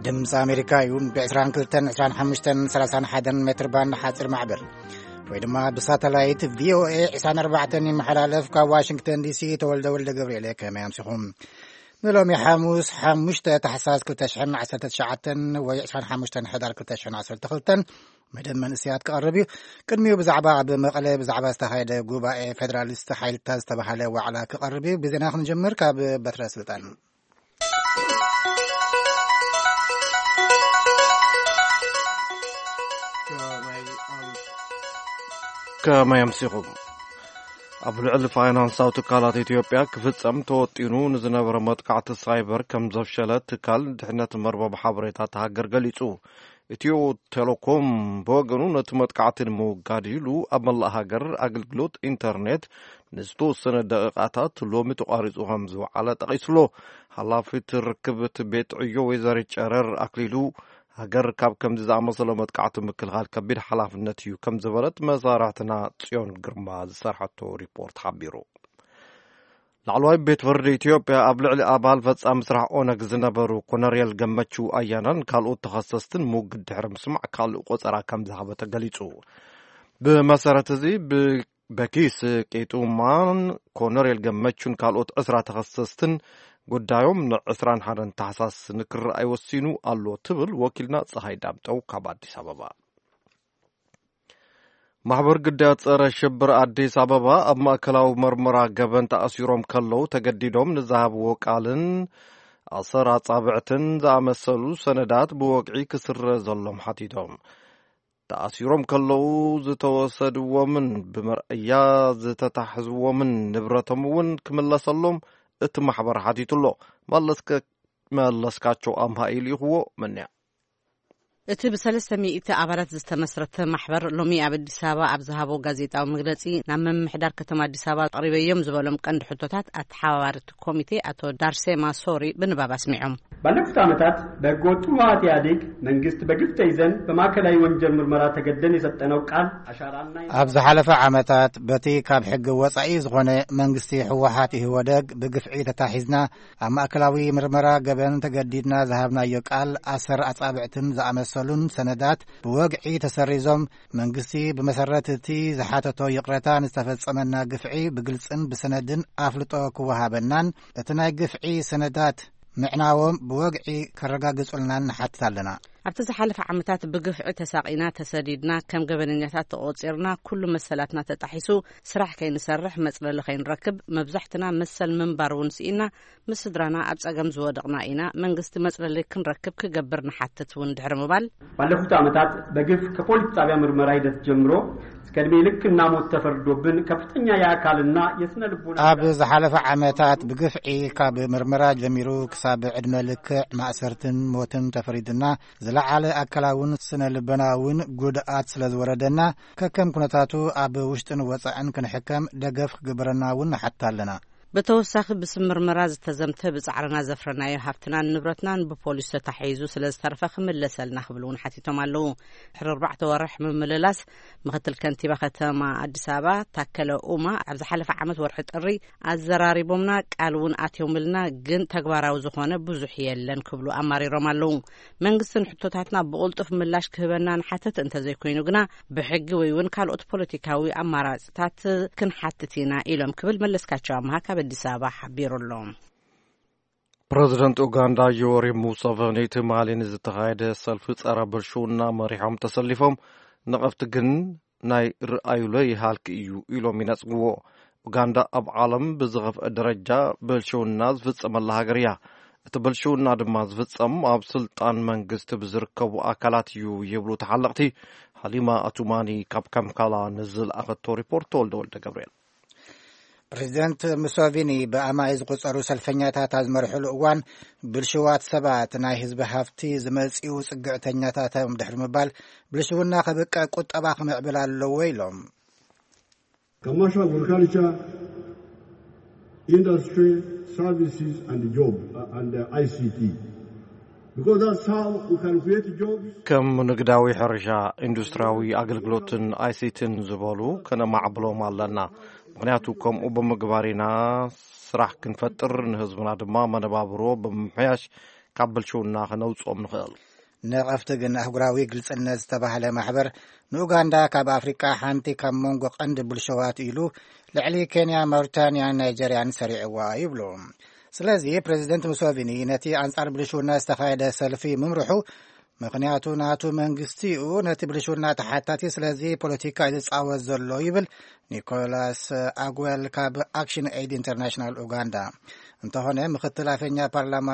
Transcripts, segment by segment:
ድምፂ ኣሜሪካ እዩ። ብ22፣ 25፣ 31 ሜትር ባንድ ሓፂር ማዕበል ወይ ድማ ብሳተላይት ቪኦኤ 24 ይመሓላለፍ። ካብ ዋሽንግተን ዲሲ ተወልደ ወልደ ገብርኤል። ከመይ ኣምሲኹም? ንሎሚ ሓሙስ 5 ታሕሳስ 2019 ወይ 25 ሕዳር 2012 መደብ መንእሰያት ክቐርብ እዩ። ቅድሚኡ ብዛዕባ ኣብ መቐለ ብዛዕባ ዝተኻየደ ጉባኤ ፌደራሊስት ሓይልታት ዝተባሃለ ዋዕላ ክቐርብ እዩ። ብዜና ክንጀምር ካብ በትረ ስልጣን። ከመይ ኣምሲኹም? ኣብ ልዕሊ ፋይናንሳዊ ትካላት ኢትዮጵያ ክፍጸም ተወጢኑ ንዝነበረ መጥቃዕቲ ሳይበር ከም ዘፍሸለ ትካል ድሕነት መርበብ ሓበሬታ እታ ሃገር ገሊጹ። ኢትዮ ቴሌኮም ብወገኑ ነቲ መጥቃዕቲ ንምውጋድ ኢሉ ኣብ መላእ ሃገር ኣገልግሎት ኢንተርኔት ንዝተወሰነ ደቂቓታት ሎሚ ተቋሪጹ ከም ዝወዓለ ጠቒሱሎ። ሓላፊት ርክብት ቤት ዕዮ ወይዘሪት ጨረር ኣክሊሉ፣ ሃገር ካብ ከምዚ ዝኣመሰለ መጥቃዕቲ ምክልኻል ከቢድ ሓላፍነት እዩ ከም ዝበለት መሳርሕትና ጽዮን ግርማ ዝሰርሐቶ ሪፖርት ሓቢሩ። ላዕለዋይ ቤት ፍርዲ ኢትዮጵያ ኣብ ልዕሊ ኣባል ፈጻሚ ስራሕ ኦነግ ዝነበሩ ኮነሬል ገመቹ ኣያናን ካልኦት ተኸሰስትን ሙግት ድሕሪ ምስማዕ ካልእ ቆጸራ ከም ዝሃበ ተገሊጹ። ብመሰረት እዚ ብ-፣ በኪስ ቄጡማን ኮነሬል ገመቹን ካልኦት ዕስራ ተኸሰስትን ጉዳዮም ን21 ታሕሳስ ንክረኣይ ወሲኑ ኣሎ ትብል ወኪልና ፀሃይ ዳምጠው ካብ ኣዲስ ኣበባ። ማሕበር ግዳያት ጸረ ሽብር ኣዲስ ኣበባ ኣብ ማእከላዊ መርመራ ገበን ተኣሲሮም ከለዉ ተገዲዶም ንዝሃብዎ ቃልን ኣሰር ኣጻብዕትን ዝኣመሰሉ ሰነዳት ብወግዒ ክስረዘሎም ሓቲቶም። ተኣሲሮም ከለዉ ዝተወሰድዎምን ብመርኣያ ዝተታሕዝዎምን ንብረቶም እውን ክምለሰሎም እቲ ማሕበር ሓቲቱ ኣሎ። መለስከ-፣ መለስካቸው ኣምሃ ኢልይኽዎ። መንያ። እቲ ብ300 ኣባላት ዝተመስረተ ማሕበር ሎሚ ኣብ ኣዲስ ኣበባ ኣብ ዝሃቦ ጋዜጣዊ መግለጺ፣ ናብ ምምሕዳር ከተማ ኣዲስ ኣበባ ኣቕሪበዮም ዝበሎም ቀንዲ ሕቶታት ኣተሓባባሪ እቲ ኮሚቴ ኣቶ ዳርሴማ ሶሪ ብንባብ ኣስሚዖም። ባለፉት ዓመታት በሕገ ወጥ ህወሓት ኢህኣዴግ መንግስት በግፍ ተይዘን በማእከላዊ ወንጀል ምርመራ ተገደን የሰጠነው ቃል ኣሻራና ኣብ ዝሓለፈ ዓመታት በቲ ካብ ሕጊ ወጻኢ ዝኾነ መንግስቲ ህወሓት ኢህወደግ ብግፍዒ ተታሒዝና ኣብ ማእከላዊ ምርመራ ገበን ተገዲድና ዝሃብናዮ ቃል ኣሰር ኣጻብዕትን ዝኣመሰሉን ሰነዳት ብወግዒ ተሰሪዞም፣ መንግስቲ ብመሰረት እቲ ዝሓተቶ ይቕረታ ንዝተፈጸመና ግፍዒ ብግልጽን ብሰነድን ኣፍልጦ ክወሃበናን እቲ ናይ ግፍዒ ሰነዳት ምዕናዎም ብወግዒ ከረጋግጹልናን ንሓትት ኣለና። ኣብቲ ዝሓለፈ ዓመታት ብግፍዒ ተሳቒና፣ ተሰዲድና፣ ከም ገበነኛታት ተቖጺርና፣ ኩሉ መሰላትና ተጣሒሱ፣ ስራሕ ከይንሰርሕ፣ መጽለሊ ከይንረክብ፣ መብዛሕትና መሰል ምንባር እውን ስኢና፣ ምስ ስድራና ኣብ ጸገም ዝወደቕና ኢና። መንግስቲ መጽለሊ ክንረክብ ክገብር ንሓትት እውን ድሕሪ ምባል፣ ባለፉት ዓመታት በግፍ ከፖሊስ ጣቢያ ምርመራ ሂደት ጀምሮ እስከ ዕድሜ ልክና ሞት ተፈርዶብን ከፍተኛ የኣካልና የስነ ልቦና ኣብ ዝሓለፈ ዓመታት ብግፍዒ ካብ ምርመራ ጀሚሩ ክሳብ ዕድመ ልክዕ ማእሰርትን ሞትን ተፈሪድና፣ ዝለዓለ ኣካላውን ስነ ልቦናውን ጉድኣት ስለ ዝወረደና፣ ከከም ኩነታቱ ኣብ ውሽጥን ወጻእን ክንሕከም ደገፍ ክግበረና እውን ንሓትት ኣለና። ብተወሳኺ፣ ብስም ምርመራ ዝተዘምተ ብጻዕርና ዘፍረናዮ ሃብትናን ንብረትናን ብፖሊስ ተታሒዙ ስለ ዝተረፈ ክምለሰልና ክብሉ እውን ሓቲቶም ኣለዉ። ድሕሪ ኣርባዕተ ወርሕ ምምልላስ፣ ምክትል ከንቲባ ከተማ ኣዲስ ኣበባ ታከለ ኡማ ኣብ ዝሓለፈ ዓመት ወርሒ ጥሪ ኣዘራሪቦምና፣ ቃል እውን ኣትዮምልና፣ ግን ተግባራዊ ዝኾነ ብዙሕ የለን ክብሉ ኣማሪሮም ኣለዉ። መንግስቲ ንሕቶታትና ብቕልጡፍ ምላሽ ክህበና ንሓተት፣ እንተዘይኮይኑ ግና ብሕጊ ወይ እውን ካልኦት ፖለቲካዊ ኣማራፅታት ክንሓትት ኢና ኢሎም ክብል መለስካቸው ኣምሃ ካብ ኣዲስ ኣበባ ሓቢሩ ኣሎ። ፕረዚደንት ኡጋንዳ ዮወሪ ሙሰቨኒ ትማሊ ንዝተኻየደ ሰልፊ ጸረ ብልሽውና መሪሖም ተሰሊፎም፣ ነቐፍቲ ግን ናይ ርኣዩሎ ይሃልክ እዩ ኢሎም ይነጽግዎ። ኡጋንዳ ኣብ ዓለም ብዝኸፍአ ደረጃ ብልሽውና ዝፍጸመላ ሃገር እያ። እቲ ብልሽውና ድማ ዝፍጸም ኣብ ስልጣን መንግስቲ ብዝርከቡ ኣካላት እዩ ይብሉ ተሓለቕቲ። ሃሊማ ኣቱማኒ ካብ ካምካላ ንዝለኣኸቶ ሪፖርት ተወልደ ወልደ ገብርኤል። ፕሬዚደንት ሙሶቪኒ ብኣማይ ዝቁጸሩ ሰልፈኛታት ኣብ ዝመርሕሉ እዋን፣ ብልሽዋት ሰባት ናይ ህዝቢ ሃፍቲ ዝመጽኡ ጽግዕተኛታት እዮም ድሕሪ ምባል፣ ብልሽውና ከብቅዕ ቁጠባ ክምዕብል ኣለዎ ኢሎም። Commercial agriculture, industry, services and job, uh, and, uh, I C T. Because that's how we can create jobs. ከም ንግዳዊ ሕርሻ፣ ኢንዱስትሪያዊ ኣገልግሎትን ኣይሲቲን ዝበሉ ከነማዕብሎም ኣለና። ምኽንያቱ ከምኡ ብምግባር ኢና ስራሕ ክንፈጥር፣ ንህዝብና ድማ መነባብሮ ብምምሕያሽ ካብ ብልሽውና ክነውጽኦም ንኽእል። ነቐፍቲ ግን ኣህጉራዊ ግልጽነት ዝተባህለ ማሕበር ንኡጋንዳ ካብ ኣፍሪቃ ሓንቲ ካብ መንጎ ቀንዲ ብልሸዋት ኢሉ ልዕሊ ኬንያ፣ ማውሪታንያን ናይጀርያን ሰሪዕዋ ይብሉ። ስለዚ ፕሬዚደንት ሙሶቪኒ ነቲ ኣንጻር ብልሽውና ዝተኻየደ ሰልፊ ምምርሑ ምኽንያቱ ናቱ መንግስቲ እዩ፣ ነቲ ብልሽውና ተሓታቲ፣ ስለዚ ፖለቲካ እዩ ዝጻወት ዘሎ ይብል ኒኮላስ ኣጉዌል ካብ ኣክሽን ኤድ ኢንተርናሽናል ኡጋንዳ። እንተኾነ ምክትል ኣፈኛ ፓርላማ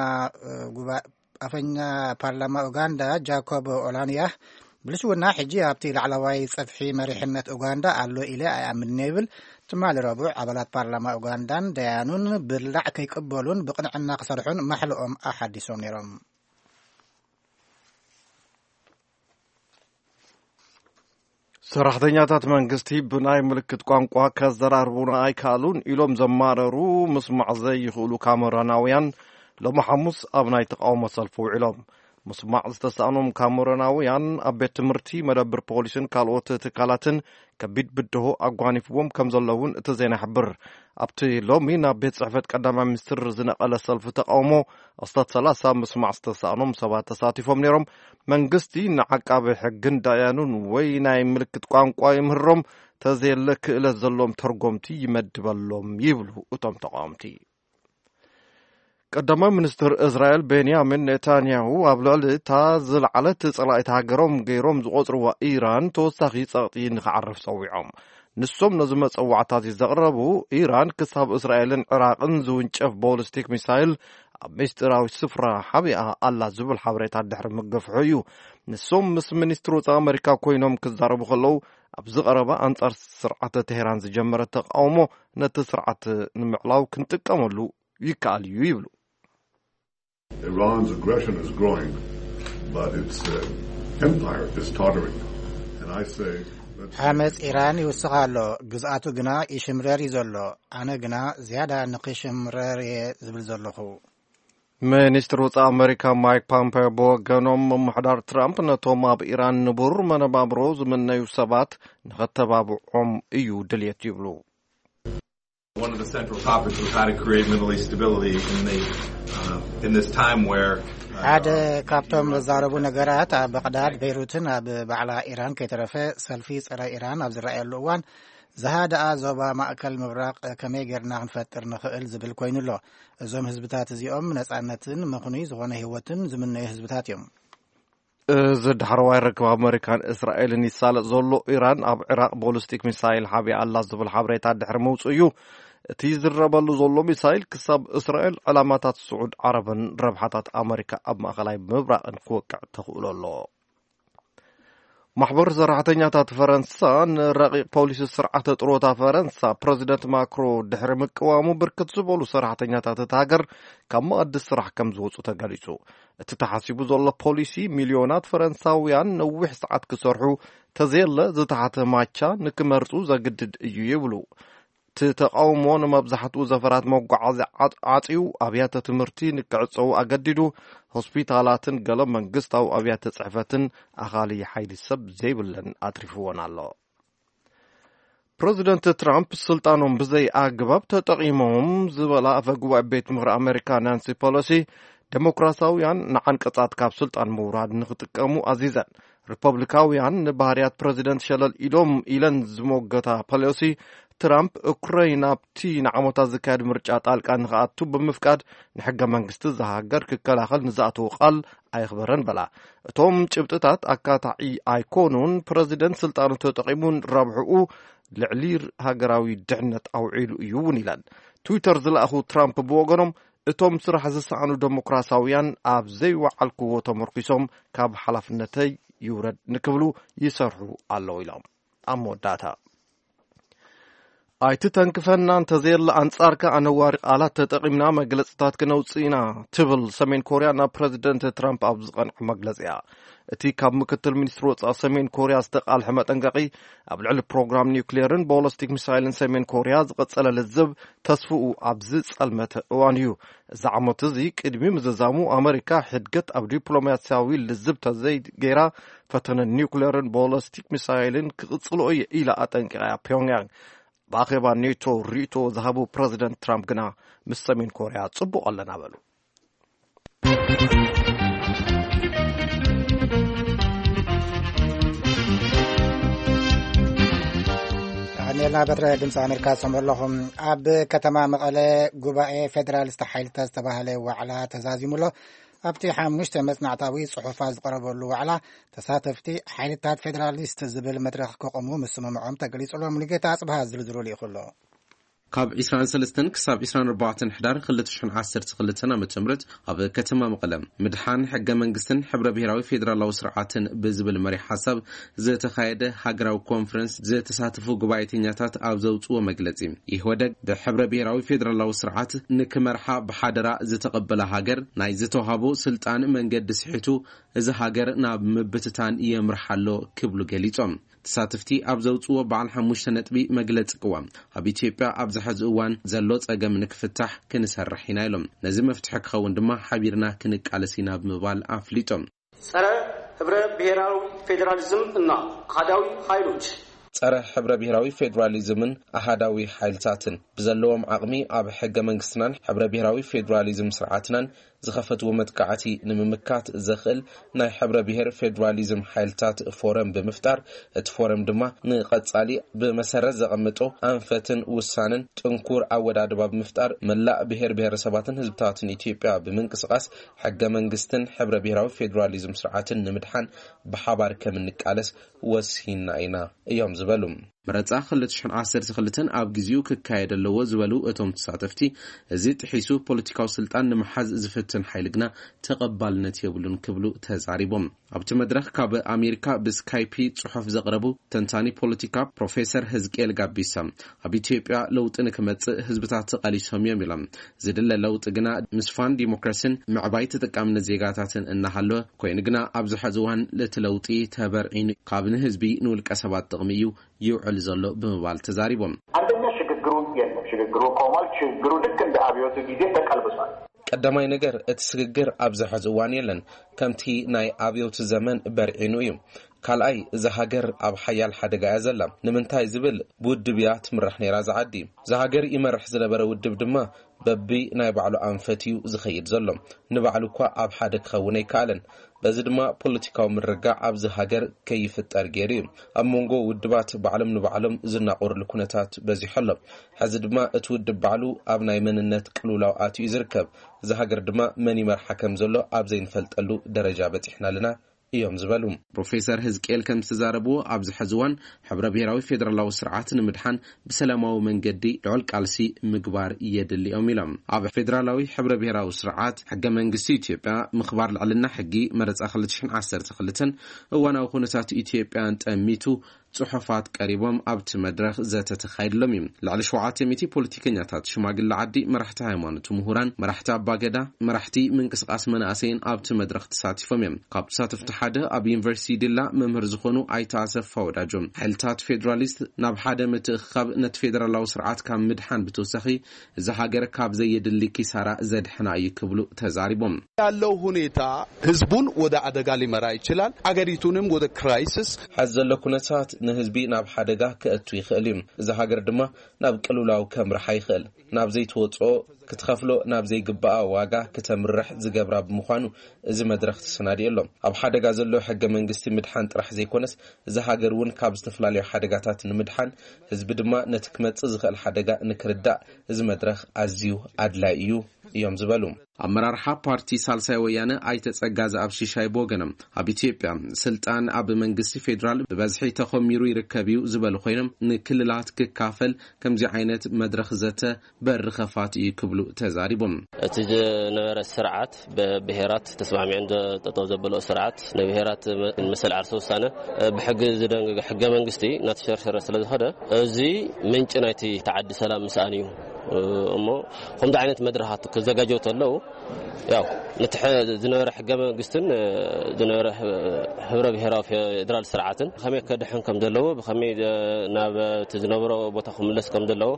ጉባ ኣፈኛ ፓርላማ ኡጋንዳ ጃኮብ ኦላንያ ብልሽውና ሕጂ ኣብቲ ላዕለዋይ ጸፍሒ መሪሕነት ኡጋንዳ ኣሎ ኢለ ኣይኣምንን ይብል። ትማሊ ረቡዕ ኣባላት ፓርላማ ኡጋንዳን ደያኑን ብላዕ ከይቅበሉን ብቕንዕና ክሰርሑን ማሕልኦም ኣሓዲሶም ነይሮም። ሰራሕተኛታት መንግስቲ ብናይ ምልክት ቋንቋ ከዘራርቡና ኣይከኣሉን ኢሎም ዘማረሩ ምስማዕ ዘይኽእሉ ካሜሮናውያን ሎሚ ሓሙስ ኣብ ናይ ተቃውሞ ሰልፊ ውዒሎም። ምስማዕ ዝተሳእኖም ካሜሮናውያን ኣብ ቤት ትምህርቲ፣ መደብር ፖሊስን ካልኦት ትካላትን ከቢድ ብድሆ ኣጓኒፍዎም ከም ዘለውን እቲ ዜና ይሕብር። ኣብቲ ሎሚ ናብ ቤት ጽሕፈት ቀዳማይ ሚኒስትር ዝነቐለ ሰልፊ ተቃውሞ ኣስታት ሰላሳ ምስማዕ ዝተሳእኖም ሰባት ተሳቲፎም ነይሮም። መንግስቲ ንዓቃቢ ሕግን ዳያኑን ወይ ናይ ምልክት ቋንቋ ይምህሮም፣ ተዘየለ ክእለት ዘለዎም ተርጎምቲ ይመድበሎም ይብሉ እቶም ተቃወምቲ። ቀዳማይ ሚኒስትር እስራኤል ቤንያሚን ኔታንያሁ ኣብ ልዕሊ እታ ዝለዓለት ጸላኢት ሃገሮም ገይሮም ዝቖጽርዋ ኢራን ተወሳኺ ጸቕጢ ንኽዓርፍ ጸዊዖም። ንሶም ነዚ መጸዋዕታዚ ዘቕረቡ፣ ኢራን ክሳብ እስራኤልን ዕራቕን ዝውንጨፍ ቦሊስቲክ ሚሳይል ኣብ ምስጢራዊ ስፍራ ሓቢኣ ኣላ ዝብል ሓበሬታ ድሕሪ ምግፍሑ እዩ። ንሶም ምስ ሚኒስትር ወጻኢ ኣመሪካ ኮይኖም ክዛረቡ ከለዉ፣ ኣብዚ ቀረባ ኣንጻር ስርዓተ ቴህራን ዝጀመረ ተቃውሞ ነቲ ስርዓት ንምዕላው ክንጥቀመሉ ይከኣል እዩ ይብሉ። Iran's aggression is growing, but its uh, empire is tottering. And I say, let's ዓመፅ ኢራን ይውስኽ ኣሎ፣ ግዝኣቱ ግና ይሽምረር እዩ ዘሎ። ኣነ ግና ዝያዳ ንኽሽምረር እየ ዝብል ዘለኹ። ሚኒስትር ወፃኢ ኣመሪካ ማይክ ፖምፔዮ ብወገኖም፣ ምምሕዳር ትራምፕ ነቶም ኣብ ኢራን ንቡር መነባብሮ ዝምነዩ ሰባት ንኸተባብዖም እዩ ድልየት ይብሉ። One of the central topics was how to create Middle East stability in the uh, in this time where uh, ሓደ ካብቶም ዘዛረቡ ነገራት ኣብ በቕዳድ፣ ቤይሩትን ኣብ ባዕላ ኢራን ከይተረፈ ሰልፊ ጸረ ኢራን ኣብ ዝረኣየሉ እዋን ዝሃደኣ ዞባ ማእከል ምብራቕ ከመይ ጌርና ክንፈጥር ንኽእል ዝብል ኮይኑ ኣሎ። እዞም ህዝብታት እዚኦም ነጻነትን ምኽኑይ ዝኾነ ህይወትን ዝምነዩ ህዝብታት እዮም። እዚ ዳሕረዋይ ርክብ ኣመሪካን እስራኤልን ይሳለጥ ዘሎ፣ ኢራን ኣብ ዒራቕ ቦሊስቲክ ሚሳይል ሓቢኣ ኣላ ዝብል ሓበሬታ ድሕሪ ምውፅኡ እዩ። እቲ ዝረበሉ ዘሎ ሚሳይል ክሳብ እስራኤል ዕላማታት ስዑድ ዓረብን ረብሓታት ኣመሪካ ኣብ ማእኸላይ ምብራቕን ክወቅዕ ተኽእሎ ኣሎ። ማሕበር ሰራሕተኛታት ፈረንሳ ንረቂቕ ፖሊሲ ስርዓተ ጥሮታ ፈረንሳ ፕረዚደንት ማክሮ ድሕሪ ምቅዋሙ፣ ብርክት ዝበሉ ሰራሕተኛታት እቲ ሃገር ካብ መኣዲ ስራሕ ከም ዝወፁ ተገሊፁ። እቲ ተሓሲቡ ዘሎ ፖሊሲ፣ ሚልዮናት ፈረንሳውያን ነዊሕ ሰዓት ክሰርሑ፣ ተዘየለ ዝተሓተ ማቻ ንክመርፁ ዘግድድ እዩ ይብሉ። እቲ ተቃውሞ ንመብዛሕትኡ ዘፈራት መጓዓዝያ ዓፅ- ዓፅዩ፣ ኣብያተ ትምህርቲ ንክዕፀዉ ኣገዲዱ፣ ሆስፒታላትን ገለ መንግስታዊ ኣብያተ ፅሕፈትን ኣኻሊ ሓይሊ ሰብ ዘይብለን ኣትሪፍዎን ኣሎ። ፕረዚደንት ትራምፕ ስልጣኖም ብዘይ ኣግባብ ተጠቒሞም ዝበላ ኣፈ ጉባኤ ቤት ምኽሪ ኣሜሪካ ናንሲ ፐሎሲ፣ ዴሞክራሲያውያን ንዓንቀጻት ካብ ስልጣን ምውራድ ንኽጥቀሙ ኣዚዘን። ሪፐብሊካውያን ንባህርያት ፕረዚደንት ሸለል ኢሎም ኢለን ዝሞገታ ፐሎሲ፣ ትራምፕ ኡክረይን ኣብቲ ንዓመታት ዝካየድ ምርጫ ጣልቃ ንኽኣቱ ብምፍቃድ ንሕገ መንግስቲ እዛ ሃገር ክከላኸል ንዝኣተዎ ቃል ኣየኽበረን በላ። እቶም ጭብጥታት ኣካታዒ ኣይኮኑን፣ ፕረዚደንት ስልጣኑ ተጠቒሙን ረብሕኡ ልዕሊ ሃገራዊ ድሕነት ኣውዒሉ እዩ እውን ኢለን። ትዊተር ዝለኣኹ ትራምፕ ብወገኖም፣ እቶም ስራሕ ዝሰኣኑ ዴሞክራሲያውያን ኣብ ዘይወዓልክዎ ተመርኪሶም ካብ ሓላፍነተይ ይውረድ ንክብሉ ይሰርሑ ኣለዉ ኢሎም። ኣብ መወዳእታ፣ ኣይትተንክፈና፣ እንተዘየለ ኣንጻርካ ኣነዋሪ ቃላት ተጠቒምና መግለጽታት ክነውጽእ ኢና፣ ትብል ሰሜን ኮርያ ናብ ፕረዚደንት ትራምፕ ኣብ ዝቐንዐ መግለጺኣ። እቲ ካብ ምክትል ሚኒስትሪ ወጻኢ ሰሜን ኮርያ ዝተቓልሐ መጠንቀቒ፣ ኣብ ልዕሊ ፕሮግራም ኒውክሌርን ቦለስቲክ ሚሳይልን ሰሜን ኮርያ ዝቐጸለ ልዝብ ተስፍኡ ኣብ ዝጸልመተ እዋን እዩ። እዚ ዓመት እዚ ቅድሚ ምዝዛሙ፣ ኣመሪካ ሕድገት ኣብ ዲፕሎማስያዊ ልዝብ ተዘይገይራ፣ ፈተነ ኒውክሌርን ቦለስቲክ ሚሳይልን ክቕጽሎ እየ ኢላ ኣጠንቂቓ እያ ፒዮንግያንግ። ብኣኼባ ኔቶ ርእይቶ ዝሃቡ ፕረዚደንት ትራምፕ ግና፣ ምስ ሰሜን ኮርያ ጽቡቕ ኣለና በሉ። ናበትረ ድምፂ ኣሜሪካ ዝሰምዑ ኣለኹም። ኣብ ከተማ መቐለ ጉባኤ ፌዴራሊስት ሓይልታት ዝተባህለ ዋዕላ ተዛዚሙ ኣሎ። ኣብቲ ሓሙሽተ መፅናዕታዊ ፅሑፋት ዝቐረበሉ ዋዕላ፣ ተሳተፍቲ ሓይልታት ፌዴራሊስት ዝብል መድረኽ ከቆሙ ምስምምዖም ተገሊጹ ኣሎ። ሙሉጌታ ኣጽብሃ ዝርዝሩ ልኢኹ ኣሎ። ካብ ዕስራን ሰለስተን ክሳብ ዕስራን ኣርባዕተን ሕዳር ክልተ ሽሕን ዓሰርተ ክልተን ዓመተ ምህረት ኣብ ከተማ መቐለ፣ ምድሓን ሕገ መንግስትን ሕብረ ብሔራዊ ፌዴራላዊ ስርዓትን ብዝብል መሪሕ ሓሳብ ዝተኻየደ ሃገራዊ ኮንፈረንስ ዝተሳተፉ ጉባኤተኛታት ኣብ ዘውፅዎ መግለፂ፣ ኢህወደግ ብሕብረ ብሔራዊ ፌዴራላዊ ስርዓት ንክመርሓ ብሓደራ ዝተቐበለ ሃገር፣ ናይ ዝተዋሃቦ ስልጣን መንገዲ ስሒቱ፣ እዚ ሃገር ናብ ምብትታን የምርሓ ኣሎ ክብሉ ገሊጾም። ተሳተፍቲ ኣብ ዘውፅዎ በዓል ሓሙሽተ ነጥቢ መግለፂ ቅዋም፣ ኣብ ኢትዮጵያ ኣብዚ ሕዚ እዋን ዘሎ ጸገም ንክፍታሕ ክንሰርሕ ኢና ኢሎም። ነዚ መፍትሒ ክኸውን ድማ ሓቢርና ክንቃለስ ኢና ብምባል ኣፍሊጦም። ጸረ ህብረ ብሔራዊ ፌዴራሊዝም እና ኣሃዳዊ ኃይሎች። ጸረ ሕብረ ብሔራዊ ፌዴራሊዝምን ኣሃዳዊ ሓይልታትን ብዘለዎም ዓቕሚ ኣብ ሕገ መንግስትናን ሕብረ ብሔራዊ ፌዴራሊዝም ስርዓትናን ዝኸፈትዎ መጥቃዕቲ ንምምካት ዘኽእል ናይ ሕብረ ብሔር ፌዴራሊዝም ሓይልታት ፎረም ብምፍጣር፣ እቲ ፎረም ድማ ንቐጻሊ ብመሰረት ዘቐምጦ ኣንፈትን ውሳንን ጥንኩር ኣወዳድባ ብምፍጣር፣ መላእ ብሔር ብሔረሰባትን ህዝብታትን ኢትዮጵያ ብምንቅስቓስ፣ ሕገ መንግስትን ሕብረ ብሔራዊ ፌዴራሊዝም ስርዓትን ንምድሓን ብሓባር ከም እንቃለስ ወሲንና ኢና እዮም ዝበሉ። መረጻ ክልተ ሽሕን ዓሰርተ ክልተን ኣብ ግዜኡ ክካየድ ኣለዎ ዝበሉ እቶም ተሳተፍቲ፣ እዚ ጥሒሱ ፖለቲካዊ ስልጣን ንምሓዝ ዝፍትን ሓይሊ ግና ተቐባልነት የብሉን ክብሉ ተዛሪቦም። ኣብቲ መድረኽ ካብ ኣሜሪካ ብስካይፒ ጽሑፍ ዘቕረቡ ተንታኒ ፖለቲካ ፕሮፌሰር ህዝቅኤል ጋቢሳ፣ ኣብ ኢትዮጵያ ለውጢ ንክመጽእ ህዝብታት ተቓሊሶም እዮም ኢሎም። ዝድለ ለውጢ ግና ምስፋን ዲሞክራሲን ምዕባይ ተጠቃምነት ዜጋታትን እናሃለወ ኮይኑ ግና ኣብዚ ሕዚ እዋን እቲ ለውጢ ተበርዒኑ ካብ ንህዝቢ ንውልቀ ሰባት ጥቕሚ እዩ ይውዕል ዘሎ ብምባል ተዛሪቦም። አንደኛ ሽግግሩ የለም። ሽግግሩ ቆሟል። ሽግግሩ ልክ እንደ አብዮቱ ጊዜ ተቀልብሷል። ቀዳማይ ነገር እቲ ስግግር ኣብዚ ሕዚ እዋን የለን፣ ከምቲ ናይ ኣብዮቱ ዘመን በርዒኑ እዩ። ካልኣይ፣ እዛ ሃገር ኣብ ሓያል ሓደጋ እያ ዘላ። ንምንታይ ዝብል፣ ብውድብ እያ ትምራሕ ነይራ እዛ ዓዲ። እዛ ሃገር ይመርሕ ዝነበረ ውድብ ድማ በቢ ናይ ባዕሉ ኣንፈት እዩ ዝኸይድ ዘሎ። ንባዕሉ እኳ ኣብ ሓደ ክኸውን ኣይከኣለን። በዚ ድማ ፖለቲካዊ ምርግጋዕ ኣብዚ ሃገር ከይፍጠር ገይሩ እዩ። ኣብ መንጎ ውድባት ባዕሎም ንባዕሎም ዝናቆርሉ ኩነታት በዚሑ ኣሎ። ሕዚ ድማ እቲ ውድብ ባዕሉ ኣብ ናይ መንነት ቅልውላው ኣትዩ እዩ ዝርከብ። እዚ ሃገር ድማ መን ይመርሓ ከም ዘሎ ኣብ ዘይንፈልጠሉ ደረጃ በጺሕና ኣለና እዮም ዝበሉ። ፕሮፌሰር ህዝቅኤል ከም ዝተዛረብዎ፣ ኣብዚ ሕዚ እዋን ሕብረ ብሔራዊ ፌዴራላዊ ስርዓት ንምድሓን ብሰላማዊ መንገዲ ልዑል ቃልሲ ምግባር የድሊ እዮም ኢሎም። ኣብ ፌዴራላዊ ሕብረ ብሔራዊ ስርዓት፣ ሕገ መንግስቲ ኢትዮጵያ፣ ምኽባር ልዕልና ሕጊ፣ መረጻ ክልተ ሽሕን ዓሰርተ ክልተን፣ እዋናዊ ኩነታት ኢትዮጵያን ጠሚቱ ጽሑፋት ቀሪቦም ኣብቲ መድረኽ ዘተ ተኻይድሎም እዩ። ልዕሊ ሸውዓተ ሚእቲ ፖለቲከኛታት፣ ሽማግለ ዓዲ፣ መራሕቲ ሃይማኖት፣ ምሁራን፣ መራሕቲ ኣባገዳ፣ መራሕቲ ምንቅስቃስ መናእሰይን ኣብቲ መድረኽ ተሳቲፎም እዮም። ካብ ተሳተፍቲ ሓደ ኣብ ዩኒቨርሲቲ ዲላ መምህር ዝኾኑ ኣይተ ኣሰፋ ወዳጆ፣ ሓይልታት ፌዴራሊስት ናብ ሓደ ምትእኽኻብ ነቲ ፌዴራላዊ ስርዓት ካብ ምድሓን ብተወሳኺ፣ እዚ ሃገር ካብ ዘየድሊ ኪሳራ ዘድሕና እዩ ክብሉ ተዛሪቦም። ያለው ሁኔታ ህዝቡን ወደ አደጋ ሊመራ ይችላል፣ አገሪቱንም ወደ ክራይሲስ። ሐዚ ዘሎ ኩነታት ንህዝቢ ናብ ሓደጋ ከእቱ ይኽእል እዩ። እዚ ሃገር ድማ ናብ ቅልውላው ከምርሓ ይኽእል። ናብ ዘይትወፅኦ ክትኸፍሎ ናብ ዘይግባኣ ዋጋ ክተምርሕ ዝገብራ ብምዃኑ፣ እዚ መድረኽ ተሰናዲኡ ኣሎ። ኣብ ሓደጋ ዘሎ ሕገ መንግስቲ ምድሓን ጥራሕ ዘይኮነስ፣ እዚ ሃገር እውን ካብ ዝተፈላለዩ ሓደጋታት ንምድሓን፣ ህዝቢ ድማ ነቲ ክመጽእ ዝኽእል ሓደጋ ንክርዳእ፣ እዚ መድረኽ ኣዝዩ ኣድላይ እዩ እዮም ዝበሉ። ኣመራርሓ ፓርቲ ሳልሳይ ወያነ ኣይተ ጸጋዘኣብ ሽሻይ ብወገኖም፣ ኣብ ኢትዮጵያ ስልጣን ኣብ መንግስቲ ፌዴራል ብበዝሒ ተኾሚሩ ይርከብ እዩ ዝበሉ ኮይኖም፣ ንክልላት ክካፈል ከምዚ ዓይነት መድረኽ ዘተ በሪ ኸፋት እዩ ክብሉ ተዛሪቦም። እቲ ዝነበረ ስርዓት ብብሄራት ተስማሚዐን ጠጠው ዘበለኦ ስርዓት፣ ንብሄራት መሰል ዓርሰ ውሳነ ብሕጊ ዝደንገገ ሕገ መንግስቲ እናተሸርሸረ ስለ ዝኸደ፣ እዚ ምንጪ ናይቲ ተዓዲ ሰላም ምስኣን እዩ። እሞ ከምዚ ዓይነት መድረኻት ክዘጋጀው ተለዉ፣ ያው ነቲ ሕዚ ዝነበረ ሕገ መንግስትን ዝነበረ ህብረ ብሄራዊ ፌዴራል ስርዓትን ብኸመይ ከድሕን ከም ዘለዎ፣ ብኸመይ ናብ እቲ ዝነበሮ ቦታ ክምለስ ከም ዘለዎ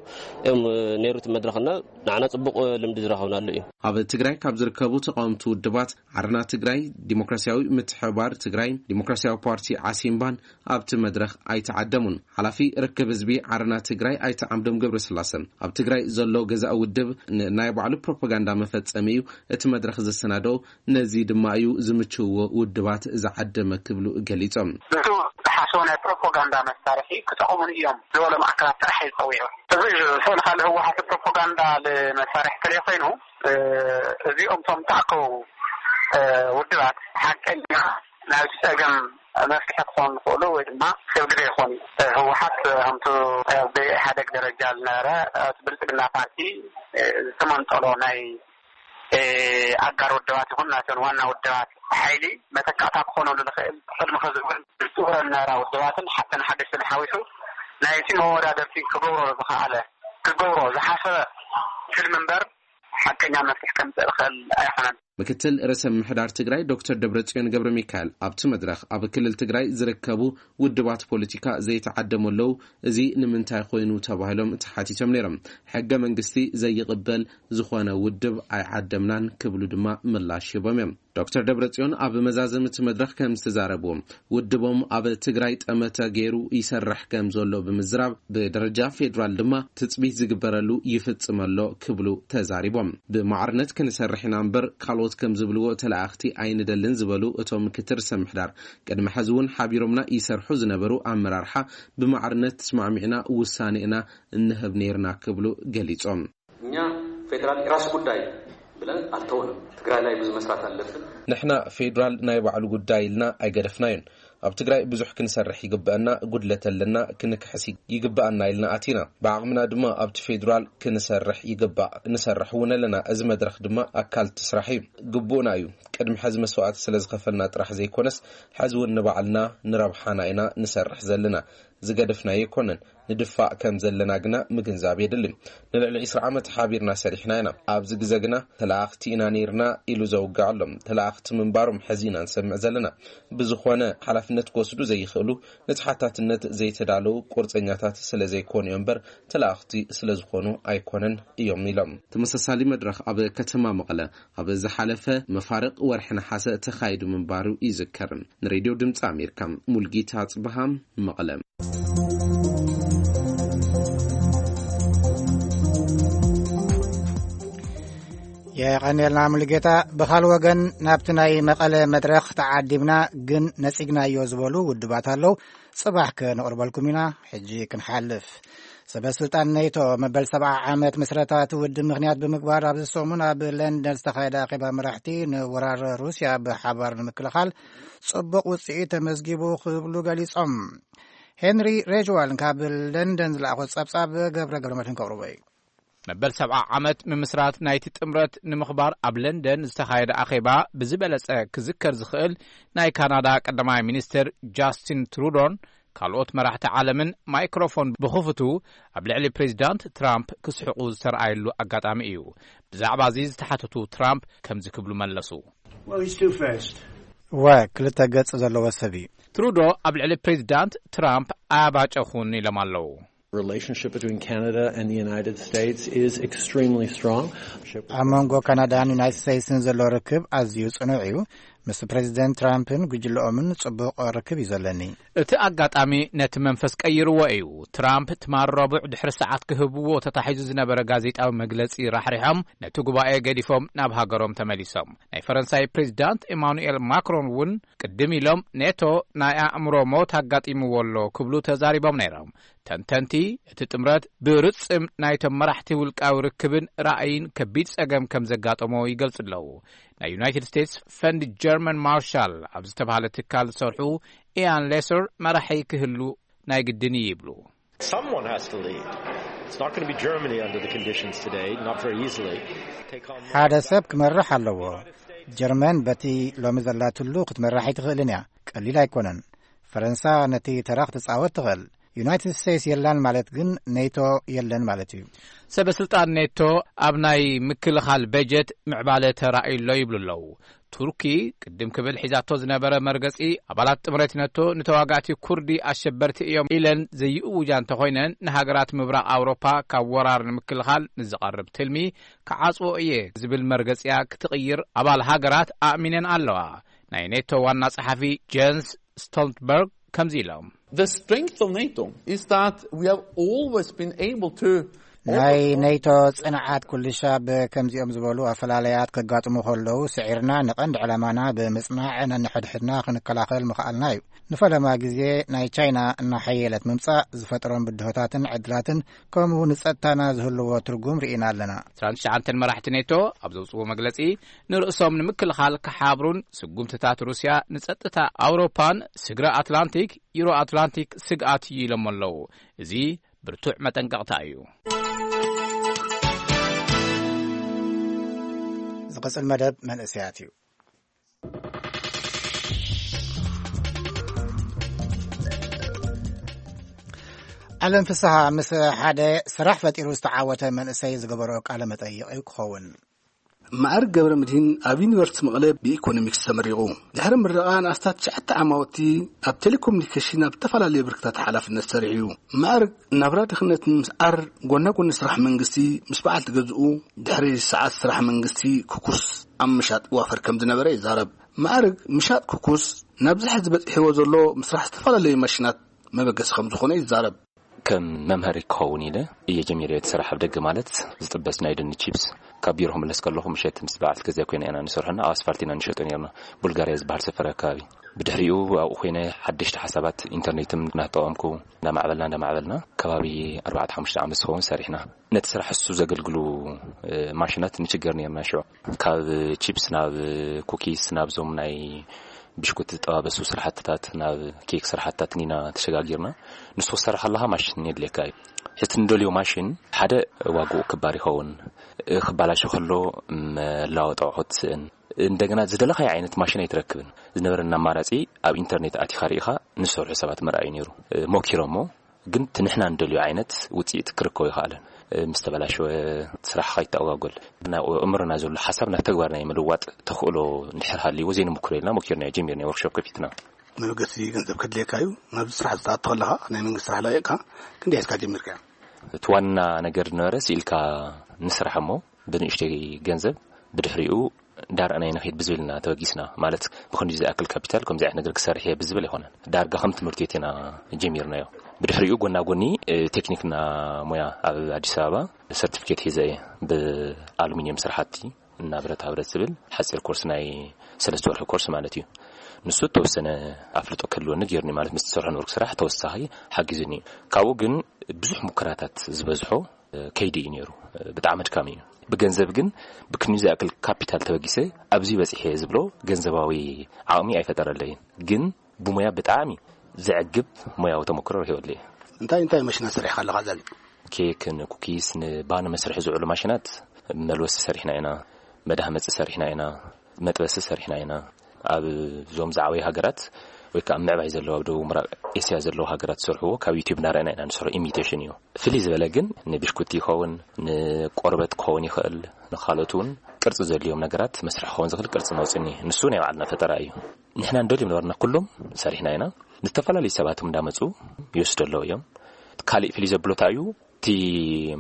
እዮም ነይሩ እቲ መድረኽና። ንዓና ጽቡቕ ልምዲ ዝረኸብናሉ እዩ። ኣብ ትግራይ ካብ ዝርከቡ ተቃወምቲ ውድባት፣ ዓረና ትግራይ፣ ዲሞክራሲያዊ ምትሕብባር ትግራይ፣ ዲሞክራሲያዊ ፓርቲ ዓሲምባን ኣብቲ መድረኽ ኣይተዓደሙን። ሓላፊ ርክብ ህዝቢ ዓረና ትግራይ ኣይተ ዓምዶም ገብረስላሰ፣ ኣብ ትግራይ ዘሎ ገዛኢ ውድብ ንናይ ባዕሉ ፕሮፓጋንዳ መፈጸሚ እዩ እቲ መድረኽ ዘሰናደኦ፣ ነዚ ድማ እዩ ዝምችውዎ ውድባት ዝዓደመ ክብሉ ገሊጾም። እቱ ተሓስ ናይ ፕሮፓጋንዳ መሳርሒ ክጠቕሙን እዮም ዝበሎም ኣካላት ጥራሕ እዩ ዝፀዊዑ። እዚ ስእሊ ካልእ ህወሓት ፕሮፓጋንዳ መሳርሒ ተለይ ኮይኑ፣ እዚኦም እቶም ተኣከቡ ውድባት ሓቀኛ ናይቲ ፀገም መፍትሒ ክኾኑ ዝኽእሉ ወይ ድማ ሰብ ግዜ ይኾኑ። ህወሓት ከምቱ ብኢህኣደግ ደረጃ ዝነበረ እቲ ብልፅግና ፓርቲ ዝተመንጠሎ ናይ ኣጋር ውድባት ይኹን ናተን ዋና ውድባት ሓይሊ መተካእታ ክኾነሉ ዝኽእል ቅድሚ ሕዚ እውን ዝፅውረ ዝነበራ ውድባትን ሓተን ሓደሽትን ሓዊሱ ናይቲ መወዳደርቲ ክገብሮ ዝኸኣለ ክገብሮ ዝሓሰበ ትልሚ እምበር ሓቀኛ መፍትሒ ከምፅእ ዝኽእል ኣይኮነን። ምክትል ርእሰ ምምሕዳር ትግራይ ዶክተር ደብረጽዮን ገብረ ሚካኤል ኣብቲ መድረኽ ኣብ ክልል ትግራይ ዝርከቡ ውድባት ፖለቲካ ዘይተዓደሙ ኣለዉ፣ እዚ ንምንታይ ኮይኑ ተባሂሎም ተሓቲቶም ነይሮም። ሕገ መንግስቲ ዘይቕበል ዝኾነ ውድብ ኣይዓደምናን ክብሉ ድማ ምላሽ ሂቦም እዮም። ዶክተር ደብረጽዮን ኣብ መዛዘሚ እቲ መድረኽ ከም ዝተዛረብዎ፣ ውድቦም ኣብ ትግራይ ጠመተ ገይሩ ይሰርሕ ከም ዘሎ ብምዝራብ፣ ብደረጃ ፌዴራል ድማ ትጽቢት ዝግበረሉ ይፍጽም ኣሎ ክብሉ ተዛሪቦም። ብማዕርነት ክንሰርሕ ኢና እምበር ካልኦት ከም ዝብልዎ ተለኣኽቲ ኣይንደልን ዝበሉ እቶም ምክትል ርእሰ ምምሕዳር፣ ቅድሚ ሕዚ እውን ሓቢሮምና ይሰርሑ ዝነበሩ ኣመራርሓ ብማዕርነት ተስማዕሚዕና ውሳኔ ኢና እንህብ ነይርና ክብሉ ገሊጾም። እኛ ፌዴራል የራሱ ጉዳይ ብለን አልተውንም። ትግራይ ላይ ብዙ መስራት አለብን። ንሕና ፌዴራል ናይ ባዕሉ ጉዳይ ኢልና ኣይገደፍናዮን። ኣብ ትግራይ ብዙሕ ክንሰርሕ ይግበአና፣ ጉድለት ኣለና፣ ክንክሕስ ይግበኣና ኢልና ኣቲና። ብዓቕምና ድማ ኣብቲ ፌዴራል ክንሰርሕ ይግባእ፣ ንሰርሕ እውን ኣለና። እዚ መድረኽ ድማ ኣካል እቲ ስራሕ እዩ፣ ግቡእና እዩ። ቅድሚ ሕዚ መስዋእቲ ስለ ዝኸፈልና ጥራሕ ዘይኮነስ ሕዚ እውን ንባዕልና ንረብሓና ኢና ንሰርሕ ዘለና። ዝገደፍናዮ ኣይኮነን። ንድፋእ ከም ዘለና ግና ምግንዛብ የድሊ። ንልዕሊ ዕስራ ዓመት ሓቢርና ሰሪሕና ኢና። ኣብዚ ግዘ ግና ተለኣኽቲ ኢና ነይርና ኢሉ ዘውግዕ ኣሎ። ተለኣኽቲ ምንባሮም ሕዚ ኢና ንሰምዕ ዘለና። ብዝኾነ ሓላፍነት ክወስዱ ዘይኽእሉ፣ ንተሓታትነት ዘይተዳለዉ ቁርፀኛታት ስለ ዘይኮኑ እዮም እምበር ተለኣኽቲ ስለ ዝኾኑ ኣይኮነን እዮም ኢሎም። ተመሳሳሊ መድረኽ ኣብ ከተማ መቐለ ኣብ ዝሓለፈ መፋርቕ ወርሒ ነሓሰ ተኻይዱ ምንባሩ ይዝከር። ንሬድዮ ድምፂ ኣሜሪካ ሙልጌታ ኣፅበሃ መቐለ። የቐንየልና ሙሉጌታ። ብኻል ወገን ናብቲ ናይ መቐለ መድረኽ ተዓዲምና ግን ነጺግናዮ ዝበሉ ውድባት ኣለዉ። ጽባሕ ከነቕርበልኩም ኢና። ሕጂ ክንሓልፍ። ሰበ ስልጣን ኔቶ መበል ሰብዓ ዓመት ምስረታ እቲ ውድብ ምኽንያት ብምግባር ኣብዚ ሰሙን ኣብ ለንደን ዝተኻየደ ኣኼባ መራሕቲ ንወራር ሩስያ ብሓባር ንምክልኻል ጽቡቕ ውጽኢት ተመዝጊቡ ክብሉ ገሊጾም። ሄንሪ ሬጅዋል ካብ ለንደን ዝለኣኾ ጸብጻብ ገብረ ገብረ መድህን ከቕርቦ እዩ። መበል ሰብዓ ዓመት ምምስራት ናይቲ ጥምረት ንምኽባር ኣብ ለንደን ዝተኻየደ ኣኼባ ብዝበለጸ ክዝከር ዝኽእል ናይ ካናዳ ቀዳማይ ሚኒስትር ጃስቲን ትሩዶን ካልኦት መራሕቲ ዓለምን ማይክሮፎን ብኽፉቱ ኣብ ልዕሊ ፕሬዚዳንት ትራምፕ ክስሕቑ ዝተረኣየሉ ኣጋጣሚ እዩ። ብዛዕባ እዚ ዝተሓተቱ ትራምፕ ከምዚ ክብሉ መለሱ። Well, he's two-faced. እወ፣ ክልተ ገጽ ዘለዎ ሰብ እዩ። ትሩዶ ኣብ ልዕሊ ፕሬዚዳንት ትራምፕ ኣያባጨኹን ኢሎም ኣለዉ። Relationship between Canada and the United States is extremely strong. ኣብ መንጎ ካናዳን ዩናይትድ ስቴትስን ዘሎ ርክብ ኣዝዩ ጽኑዕ እዩ። ምስ ፕሬዚደንት ትራምፕን ጉጅለኦምን ጽቡቕ ርክብ እዩ ዘለኒ። እቲ ኣጋጣሚ ነቲ መንፈስ ቀይርዎ እዩ። ትራምፕ ትማል ረቡዕ ድሕሪ ሰዓት ክህብዎ ተታሒዙ ዝነበረ ጋዜጣዊ መግለጺ ራሕሪሖም ነቲ ጉባኤ ገዲፎም ናብ ሃገሮም ተመሊሶም። ናይ ፈረንሳይ ፕሬዚዳንት ኤማኑኤል ማክሮን እውን ቅድም ኢሎም ኔቶ ናይ ኣእምሮ ሞት ኣጋጢምዎ ኣሎ ክብሉ ተዛሪቦም ነይሮም። ተንተንቲ እቲ ጥምረት ብርጽም ናይቶም መራሕቲ ውልቃዊ ርክብን ራእይን ከቢድ ጸገም ከም ዘጋጠሞ ይገልጹ ኣለዉ። ናይ ዩናይትድ ስቴትስ ፈንድ ጀርመን ማርሻል ኣብ ዝተባህለ ትካል ዝሰርሑ ኢያን ሌሰር መራሒ ክህሉ ናይ ግድን እዩ ይብሉ። Someone has to lead. It's not going to be Germany under the conditions today, not very easily. Take on ሓደ ሰብ ክመርሕ ኣለዎ። ጀርመን በቲ ሎሚ ዘላትሉ ክትመራሕ ኣይትኽእልን እያ። ቀሊል ኣይኮነን። ፈረንሳ ነቲ ተራ ክትጻወት ትኽእል። ዩናይትድ ስቴትስ የላን ማለት ግን ኔቶ የለን ማለት እዩ። ሰበ ስልጣን ኔቶ ኣብ ናይ ምክልኻል በጀት ምዕባለ ተራእዩ ኣሎ ይብሉ ኣለዉ። ቱርኪ ቅድም ክብል ሒዛቶ ዝነበረ መርገጺ ኣባላት ጥምረት ኔቶ ንተዋጋእቲ ኩርዲ ኣሸበርቲ እዮም ኢለን ዘይእውጃ እንተኾይነን ንሃገራት ምብራቕ ኣውሮፓ ካብ ወራር ንምክልኻል ንዝቐርብ ትልሚ ክዓጽዎ እየ ዝብል መርገጺያ ክትቕይር ኣባል ሃገራት ኣእሚነን ኣለዋ። ናይ ኔቶ ዋና ጸሓፊ ጀንስ ስቶልትበርግ ከምዚ ኢሎም። The strength of NATO is that we have always been able to ናይ ኔቶ ጽንዓት ኩልሻብ ከምዚኦም ዝበሉ ኣፈላለያት ከጋጥሙ ከለዉ፣ ስዒርና ንቐንዲ ዕላማና ብምጽናዕ ነንሕድሕድና ክንከላኸል ምኽኣልና እዩ። ንፈለማ ግዜ ናይ ቻይና እናሓየለት ምምጻእ ዝፈጥሮም ብድሆታትን ዕድላትን፣ ከምኡ ንጸጥታና ዝህልዎ ትርጉም ርኢና ኣለና። ትሽዓተ መራሕቲ ኔቶ ኣብ ዘውጽዎ መግለጺ፣ ንርእሶም ንምክልኻል ክሓብሩን ስጉምትታት ሩስያ ንጸጥታ ኣውሮፓን ስግረ ኣትላንቲክ፣ ዩሮ ኣትላንቲክ ስግኣት እዩ ኢሎም ኣለዉ። እዚ ብርቱዕ መጠንቀቕታ እዩ። ዝቕጽል መደብ መንእሰያት እዩ። ዓለም ፍስሃ ምስ ሓደ ስራሕ ፈጢሩ ዝተዓወተ መንእሰይ ዝገበሮ ቃለ መጠይቕ እዩ ክኸውን። ማዕርግ ገብረ ምድሂን ኣብ ዩኒቨርሲቲ መቐለ ብኢኮኖሚክስ ተመሪቑ። ድሕሪ ምረቓ ንኣስታት ትሽዓተ ዓማውቲ ኣብ ቴሌኮሙኒኬሽን ኣብ ዝተፈላለዩ ብርክታት ሓላፍነት ሰሪሑ እዩ። ማዕርግ ናብራ ድኽነት ንምስዓር ጎና ጎኒ ስራሕ መንግስቲ ምስ በዓልቲ ገዝኡ ድሕሪ ሰዓት ስራሕ መንግስቲ ክኩስ ኣብ ምሻጥ ይዋፈር ከም ዝነበረ ይዛረብ። ማዕርግ ምሻጥ ክኩስ ናብዚ ሕዚ በፂሕዎ ዘሎ ምስራሕ ዝተፈላለዩ ማሽናት መበገሲ ከም ዝኾነ ይዛረብ። ከም መምሃሪ ክኸውን ኢለ እየ ጀሚረ እቲ ስራሕ ኣብ ደገ፣ ማለት ዝጥበስ ናይ ድንች ቺፕስ። ካብ ቢሮ ክምለስ ከለኹ ምሸት ምስ በዓልቲ ገዛ ኮይና ኢና ንሰርሖና ኣብ ኣስፋልት ኢና ንሸጦ ነርና፣ ቡልጋርያ ዝበሃል ሰፈር ኣከባቢ። ብድሕሪኡ ኣብኡ ኮይነ ሓደሽቲ ሓሳባት ኢንተርኔትም እናተጠቐምኩ እንዳማዕበልና እንዳማዕበልና ከባቢ ኣርባዕተ ሓሙሽተ ዓመት ዝኸውን ሰሪሕና። ነቲ ስራሕ እሱ ዘገልግሉ ማሽናት ንችገር ነርና ሽዑ። ካብ ቺፕስ ናብ ኩኪስ ናብዞም ናይ ብሽኩቲ ዝጠባበሱ ስራሕትታት ናብ ኬክ ስራሕትታት ኢና ተሸጋጊርና። ንሱ ክሰርሕ ከለኻ ማሽን የድልየካ እዩ። ሕቲ ንደልዮ ማሽን ሓደ ዋግኡ ክባር ይኸውን፣ ክባላሾ ከሎ መላወጢ ኣቑሑት ስእን እንደገና ዝደለኻዮ ዓይነት ማሽን ኣይትረክብን። ዝነበረና ኣማራፂ ኣብ ኢንተርኔት ኣቲኻ ርኢኻ ንሰርሑ ሰባት ምርኣይ ነይሩ። ሞኪሮሞ ግን እቲ ንሕና ንደልዮ ዓይነት ውፅኢት ክርከቦ ይኽኣለን። ምስ ተበላሸወ ስራሕ ከይተኣጓጎል ናብ ኣእምሮና ዘሎ ሓሳብ ናብ ተግባር ናይ ምልዋጥ ተኽእሎ እንድሕር ሃልይዎ ዘይንምክሮ ኢልና ሞኪርና ጀሚርና ወርክሾፕ ከፊትና። መበገሲ ገንዘብ ከድልየካ እዩ። ናብዚ ስራሕ ዝተኣቶ ከለኻ ናይ መንግስቲ ስራሕ ለቂቕካ ክንደይ ሒዝካ ጀሚርካ? እቲ ዋና ነገር ዝነበረ ስኢልካ ንስራሕ እሞ ብንእሽተይ ገንዘብ ብድሕሪኡ ዳርኣናይ ንኸይድ ብዝብል ኢና ተበጊስና። ማለት ብክንዲ ዝኣክል ካፒታል ከምዚ ዓይነት ነገር ክሰርሕ እየ ብዝብል ኣይኮነን። ዳርጋ ከም ትምህርቲ ቤት ኢና ጀሚርናዮ። ብድሕሪኡ ጎና ጎኒ እ፣ ቴክኒክና ሞያ ኣብ ኣዲስ ኣበባ ሰርቲፊኬት ሒዘ እየ፣ ብኣሉሚኒየም ስራሕቲ እና ብረታ ብረት ዝብል ሓፂር ኮርስ ናይ ሰለስተ ወርሒ ኮርስ ማለት እዩ። ንሱ ተወሰነ ኣፍልጦ ክህልወኒ ገይሩኒ፣ ማለት ምስ ዝሰርሖ ነበርኩ ስራሕ ተወሳኺ ሓጊዙኒ እዩ። ካብኡ ግን ብዙሕ ሙከራታት ዝበዝሖ ከይዲ እዩ ነይሩ። ብጣዕሚ ኣድካሚ እዩ። ብገንዘብ ግን ብክንዩ ዝኣክል ካፒታል ተበጊሰ ኣብዚ በፂሐ ዝብሎ ገንዘባዊ ዓቕሚ ኣይፈጠረለይን። ግን ብሞያ ብጣዕሚ ዘዕግብ ሞያዊ ተመክሮ ረኺበሉ እየ። እንታይ እንታይ መሽና ሰሪሕካ ኣለኻ ዘል? ኬክ፣ ንኩኪስ፣ ንባኒ መስርሒ ዝውዕሉ ማሽናት፣ መልወሲ ሰሪሕና ኢና፣ መዳህመፂ ሰሪሕና ኢና፣ መጥበሲ ሰሪሕና ኢና። ኣብ እዞም ዝዓበዩ ሃገራት ወይ ከዓ ምዕባይ ዘለዉ ኣብ ደቡብ ምዕራብ ኤስያ ዘለዉ ሃገራት ዝሰርሕዎ ካብ ዩቲዩብ እናረኣና ኢና ንሰርሖ። ኢሚቴሽን እዩ። ፍልይ ዝበለ ግን ንብሽኩቲ ይኸውን፣ ንቆርበት ክኸውን ይኽእል፣ ንኻልኦት እውን ቅርፂ ዘድልዮም ነገራት መስርሒ ክኸውን ዝኽእል ቅርፂ ነውፅኒ። ንሱ ናይ ባዕልና ፈጠራ እዩ። ንሕና እንደልዮም ነበርና ኩሎም ሰሪሕና ኢና። ዝተፈላለዩ ሰባት እውን እንዳመፁ ይወስዱ ኣለዉ እዮም። ካሊእ ፍልይ ዘብሎ እንታይ እዩ? እቲ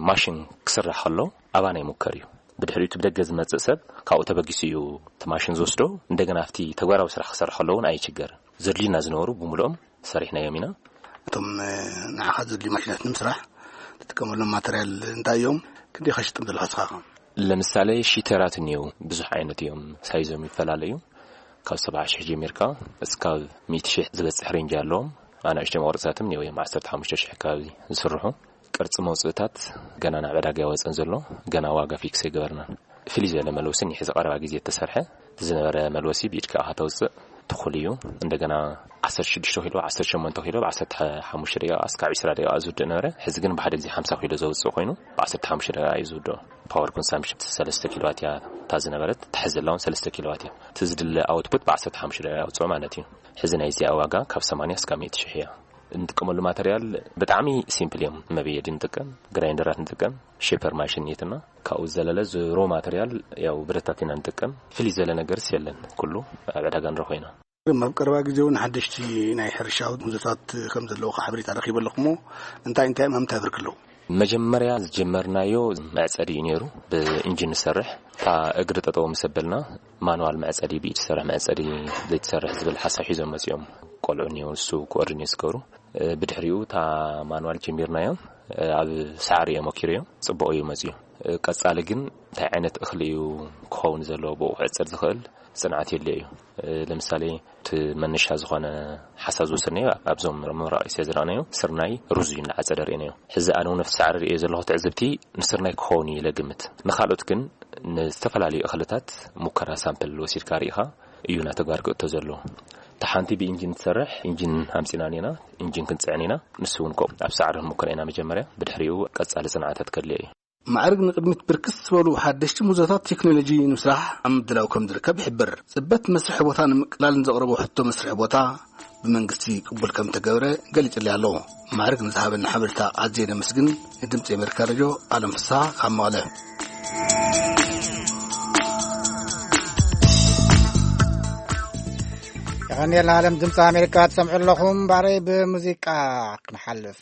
ማሽን ክስራሕ ከሎ ኣባና ይሙከር እዩ። ብድሕሪኡ እቲ ብደገ ዝመፅእ ሰብ ካብኡ ተበጊሱ እዩ እቲ ማሽን ዝወስዶ። እንደገና ኣብቲ ተግባራዊ ስራሕ ክሰርሕ ከሎ እውን ኣይችገርን። ዘድልዩና ዝነበሩ ብምልኦም ሰሪሕናዮም ኢና። እቶም ንዓኻ ዘድልዩ ማሽናት ንምስራሕ ትጥቀመሎም ማተርያል እንታይ እዮም? ክንደይ ከሽጥም ዘለኻ ስኻ? ለምሳሌ ሺተራት እኒው ብዙሕ ዓይነት እዮም፣ ሳይዞም ይፈላለዩ። ካብ ሰብዓ ሽሕ ጀሚርካ እስካብ ሚእቲ ሽሕ ዝበፅሕ ሬንጅ ኣለዎም። ኣናእሽተይ መቑረፅታትም እኒው እዮም ዓሰርተ ሓሙሽተ ሽሕ ከባቢ ዝስርሑ። ቅርፂ መውፅእታት ገና ናብ ዕዳጋ ይወፅን ዘሎ፣ ገና ዋጋ ፊክስ ኣይገበርናን። ፍልይ ዝበለ መልወሲ እኒሐ፣ እዚ ቀረባ ግዜ እተሰርሐ ዝነበረ መልወሲ ብኢድካ ኢኻ ተውፅእ፣ ትኹል እዩ። እንደገና ዓሰርተ ሽዱሽተ ኪሎ፣ ዓሰርተ ሸሞንተ ኪሎ ብ ዓሰርተ ሓሙሽተ ደቂቃ እስካብ ዒስራ ደቂቃ ዝውድእ ነበረ። ሕዚ ግን ብሓደ ግዜ ሓምሳ ኪሎ ዘውፅእ ኮይኑ ብ ዓሰርተ ሓሙሽተ ደቂቃ እዩ ዝውድኦ። ፓወር ኮንሳምፕሽን ሰለስተ ኪሎዋት እያ እታ ዝነበረት፣ ትሕዚ ዘላ እውን ሰለስተ ኪሎዋት እያ። እቲ ዝድለ ኣውትፑት ብ ዓሰርተ ሓሙሽተ ደቂቃ ኣውፅኦ ማለት እዩ። ሕዚ ናይዚኣ ዋጋ ካብ ሰማንያ እስካብ ሚእቲ ሽሕ እያ። እንጥቀመሉ ማተርያል ብጣዕሚ ሲምፕል እዮም። መብየዲ ንጥቀም፣ ግራይንደራት ንጥቀም፣ ሼፐር ማሽን የትና። ካብኡ ዘለለ ዝሮ ማተርያል ያው ብረታት ኢና ንጥቀም። ፍልይ ዘለ ነገርስ የለን፣ ኩሉ ኣብ ዕዳጋ ንረኽቦ ኢና። ኣብ ቀረባ ግዜ እውን ሓደሽቲ ናይ ሕርሻ ምህዞታት ከም ዘለዉ ሓበሬታ ረኺበ ኣለኹ እሞ እንታይ እንታይ እዮም ሃምታ ብርክ ኣለዉ? መጀመርያ ዝጀመርናዮ መዕጸዲ እዩ ነይሩ፣ ብኢንጂን ንሰርሕ። እታ እግሪ ጠጠው ምስ ኣበልና ማኑዋል መዕጸዲ፣ ብኢድ ዝሰርሕ መዕጸዲ ዘይትሰርሕ ዝብል ሓሳብ ሒዞም መጺኦም ቆልዑ እኒኦ፣ ንሱ ኮኦርዲኔት ዝገብሩ። ብድሕሪኡ እታ ማኑዋል ጀሚርናዮ። ኣብ ሳዕሪ እየ ሞኪረዮ፣ ጽቡቕ እዩ መጺኡ። ቀጻሊ ግን እንታይ ዓይነት እኽሊ እዩ ክኸውን ዘለዎ፣ ብኡ ክዕጸድ ዝኽእል ጽንዓት የድልዮ እዩ። ለምሳሌ፣ እቲ መነሻ ዝኾነ ሓሳብ ዝወሰድናዮ ኣብዞም ምብራቕ እስያ ዝረኣናዮ ስርናይ፣ ሩዝ እዩ እናዓጸደ ርኢናዮ። ሕዚ ኣነ እውን ኣብቲ ሳዕሪ ርእዮ ዘለኹ ትዕዝብቲ ንስርናይ ክኸውን እዩ ኢለ ግምት። ንኻልኦት ግን ንዝተፈላለዩ እኽልታት ሙከራ ሳምፕል ወሲድካ ርኢኻ እዩ ናብ ተግባር ክእቶ ዘለዎ። እታ ሓንቲ ብኢንጂን ትሰርሕ ኢንጂን ኣምጺና ኢና፣ ኢንጂን ክንጽዕን ኢና። ንሱ እውን ኮ ኣብ ሳዕሪ ክንሙከር ኢና መጀመርያ፣ ብድሕሪኡ ቀጻሊ ጽንዓታት ከድልዮ እዩ። ማዕርግ ንቕድሚት ብርክት ዝበሉ ሓደሽቲ ሙዞታት ቴክኖሎጂ ንምስራሕ ኣብ ምድላው ከም ዝርከብ ይሕብር። ጽበት መስርሒ ቦታ ንምቅላልን ዘቕረቦ ሕቶ መስርሒ ቦታ ብመንግስቲ ቅቡል ከም ተገብረ ገሊጹለይ ኣሎ። ማዕርግ ንዝሃበና ሓበሬታ ኣዝየ ነመስግን። ንድምጺ ኣሜሪካ ሬድዮ ኣለም ፍስሓ ካብ መቐለ። የቐንየልና ኣለም። ድምፂ ኣሜሪካ ትሰምዑ ኣለኹም። ባረይ ብሙዚቃ ክንሓልፍ።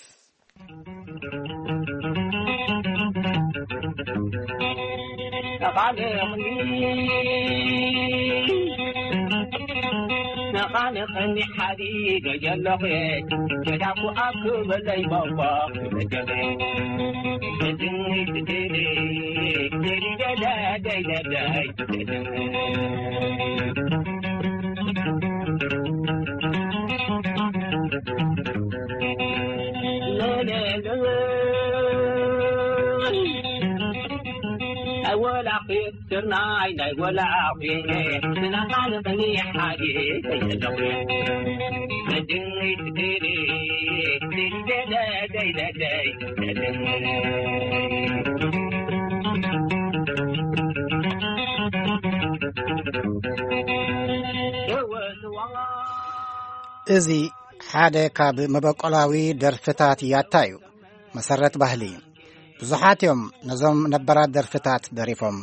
እዚ ሓደ ካብ መበቆላዊ ደርፍታት ያታ እዩ። መሰረት ባህሊ። ብዙሓት እዮም ነዞም ነበራት ደርፍታት ደሪፎም።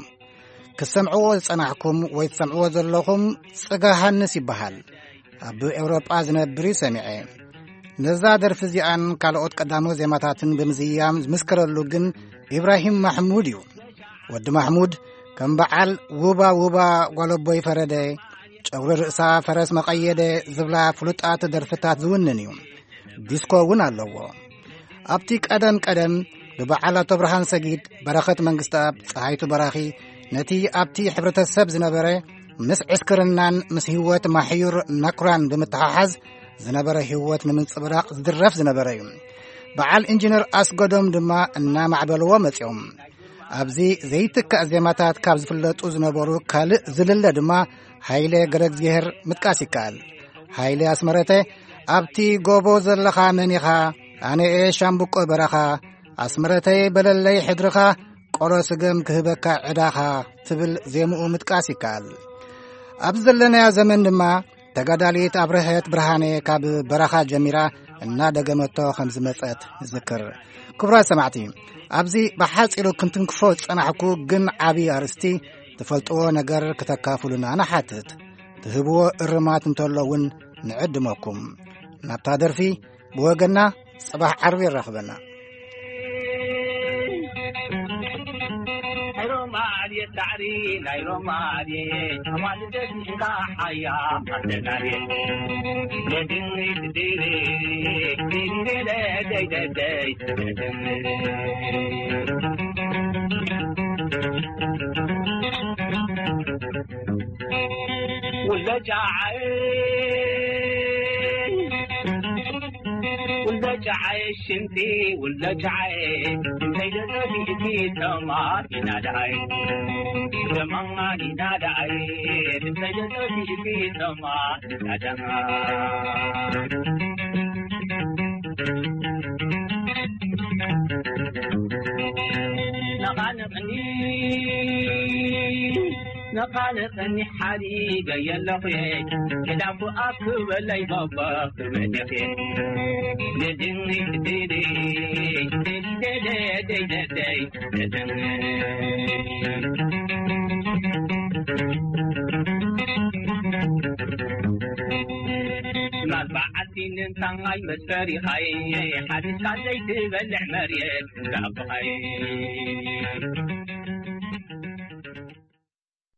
ክትሰምዕዎ ዝጸናሕኩም ወይ ትሰምዕዎ ዘለኹም ጽጋ ሃንስ ይበሃል። ኣብ ኤውሮጳ ዝነብር እዩ ሰሚዐ። ነዛ ደርፊ እዚኣን ካልኦት ቀዳሞት ዜማታትን ብምዝያም ዝምስከረሉ ግን ኢብራሂም ማሕሙድ እዩ። ወዲ ማሕሙድ ከም በዓል ውባ ውባ ጓለቦይ ፈረደ፣ ጨጉሪ ርእሳ ፈረስ መቐየደ ዝብላ ፍሉጣት ደርፍታት ዝውንን እዩ። ዲስኮ እውን ኣለዎ። ኣብቲ ቀደም ቀደም ብበዓል ኣቶ ብርሃን ሰጊድ፣ በረኸት መንግስተኣብ፣ ፀሃይቱ በራኺ ነቲ ኣብቲ ሕብረተሰብ ዝነበረ ምስ ዕስክርናን ምስ ህይወት ማሕዩር ናኩራን ብምትሓሓዝ ዝነበረ ህይወት ንምንጽብራቕ ዝድረፍ ዝነበረ እዩ። በዓል ኢንጂነር ኣስገዶም ድማ እናማዕበልዎ መጺኦም። ኣብዚ ዘይትካእ ዜማታት ካብ ዝፍለጡ ዝነበሩ ካልእ ዝልለ ድማ ሃይለ ገረግዚሄር ምጥቃስ ይከኣል። ሃይለ ኣስመረተ፣ ኣብቲ ጎቦ ዘለኻ መን ኢኻ? ኣነ እየ ሻምብቆ በረኻ። ኣስመረተይ በለለይ ሕድርኻ፣ ቆሎ ስገም ክህበካ ዕዳኻ ትብል ዜምኡ ምጥቃስ ይከኣል። ኣብ ዘለናዮ ዘመን ድማ ተጋዳሊት ኣብርሀት ብርሃነ ካብ በረኻ ጀሚራ እናደገመቶ ከም ዝመጸት ንዝክር። ክቡራት ሰማዕቲ፣ ኣብዚ ብሓጺሩ ክንትንክፎ ዝጸናሕኩ ግን ዓቢ ኣርእስቲ ትፈልጥዎ ነገር ክተካፍሉና ንሓትት። ትህብዎ እርማት እንተሎ እውን ንዕድመኩም። ናብታ ደርፊ ብወገና ጽባሕ ዓርቢ የራኽበና። ውልደ ጫዓይ፣ ውልደ ጫዓይ ሽንቲ፣ ውልደ ጫዓይ፣ እንተይ ደጠፊእቲ ተማን ኢና ደዓይ፣ ተማን ኢና ደዓይ፣ እንተይ ደጠፊእቲ ተማን ኢና ደዓይ። ነቓንቕኒ፣ ነቓንቕኒ ሓዲገ የለኹ፣ ክዳንኩ ኣክበለይ ባባ ክበደኽ። ማል በዓልቲ ንምንታይ መስፈሪኻይ፣ ሓዲስካ ዘይትበልዕ መሬት እንዳብኻይ።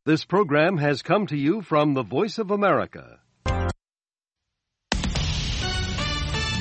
This program has come to you from the Voice of America,